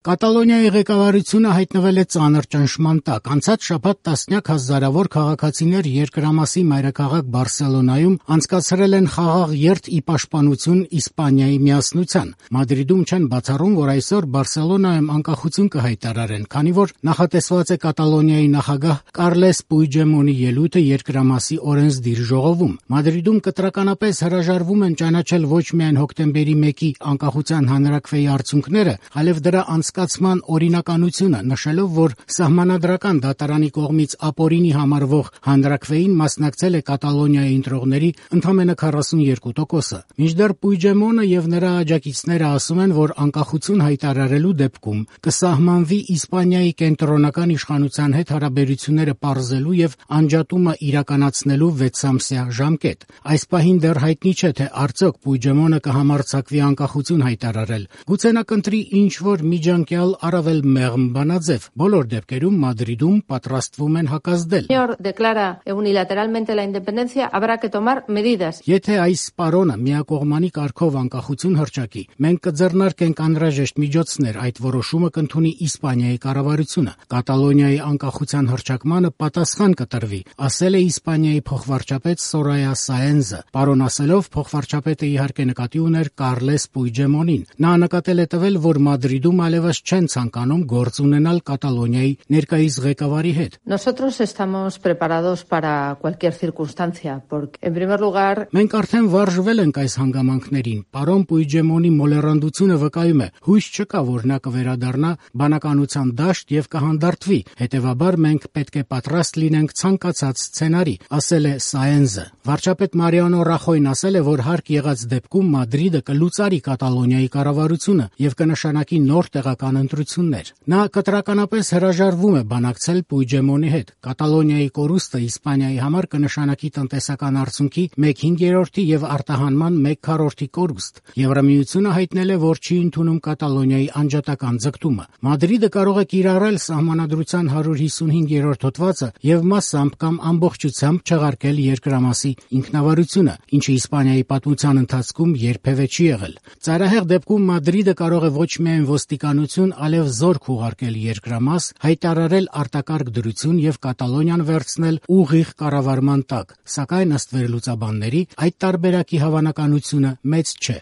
Կատալոնիայի ղեկավարությունը հայտնվել է ծանր ճնշման տակ։ Անցած շաբաթ տասնյակ հազարավոր քաղաքացիներ երկրամասի մայրաքաղաք Բարսելոնայում անցկացրել են խաղաղ երթ ի պաշտպանություն Իսպանիայի միասնության։ Մադրիդում չեն բացառում, որ այսօր Բարսելոնայում անկախություն կհայտարարեն, քանի որ նախատեսված է Կատալոնիայի նախագահ Կարլես Պուիջդեմոնի ելույթը երկրամասի օրենսդիր ժողովում։ Մադրիդում կտրականապես հրաժարվում են ճանաչել ոչ միայն հոկտեմբերի 1-ի անկախության հանրաքվեի արդյունքները, այլև դրա անցկացման օրինականությունը, նշելով, որ սահմանադրական դատարանի կողմից ապօրինի համարվող հանրաքվեին մասնակցել է Կատալոնիայի ընտրողների ընդամենը 42%-ը։ Մինչդեռ Պուիջդեմոնը եւ նրա աջակիցները ասում են, որ անկախություն հայտարարելու դեպքում կսահմանվի Իսպանիայի կենտրոնական իշխանության հետ հարաբերությունները պարզելու եւ անջատումը իրականացնելու 6-ամսյա ժամկետ։ Այս պահին դեռ հայտնի չէ, թե արդյոք Պուիջդեմոնը կհամարձակվի անկախություն հայտարարել։ Գուցե նա կընտրի ինչ-որ միջանկյալ առավել մեղմ բանաձև։ Բոլոր դեպքերում Մադրիդում պատրաստվում են հակազդել։ Եթե այս պարոնը միակողմանի կարգով անկախություն հռչակի, մենք կձեռնարկենք անհրաժեշտ միջոցներ, այդ որոշումը կընդունի Իսպանիայի կառավարությունը։ Կատալոնիայի անկախության հռչակմանը պատասխան կտրվի, ասել է Իսպանիայի փոխվարչապետ Սորայա Սաենզը։ Պարոն ասելով, փոխվարչապետը իհարկե նկատի ուներ Կարլես Պուիջդեմոնին։ Նա նկատել է տվել, որ Մադրիդում այլևս չեն ցանկանում գործ ունենալ Կատալոնիայի ներկայիս ղեկավարի հետ։ Մենք արդեն վարժվել ենք այս հանգամանքներին։ Պարոն Պուիջդեմոնի մոլեռանդությունը վկայում է, հույս չկա, որ նա կվերադառնա բանականության դաշտ եւ կհանդարտվի։ Հետևաբար մենք պետք է պատրաստ լինենք ցանկացած սցենարի, ասել է Սաենզը։ Վարչապետ Մարիանո Ռախոյն ասել է, որ հարկ եղած դեպքում Մադրիդը կլուծարի Կատալոնիայի կառավարությունը եւ կնշանակի նոր տեղական ընտրություններ։ Նա կտրականապես հրաժարվում է բանակցել Պուիջդեմոնի հետ։ Կատալոնիայի կորուստը Իսպանիայի համար կնշանակի տնտեսական արդյունքի 1/5 եւ արտահանման 1/4 կորուստ։ Եվրամիությունը հայտնել է, որ չի ընդունում Կատալոնիայի անջատական ձգտումը։ Մադրիդը կարող է կիրառել սահմանադրության 155-րդ հոդվածը եւ մասամբ կամ ամբողջությամբ չեղարկել երկրամասի ինքնավարությունը, ինչը Իսպանիայի պատմության ընթացքում երբևէ չի եղել։ Ծայրահեղ դեպքում Մադրիդը կարող է ոչ միայն ոստիկանություն, այլև զորք ուղարկել երկրամաս, հայտարարել արտակարգ դրություն եւ Կատալոնիան վերցնել ուղիղ կառավարման տակ, սակայն ըստ վերլուծաբանների այդ տարբերակի հավանականությունը մեծ չէ։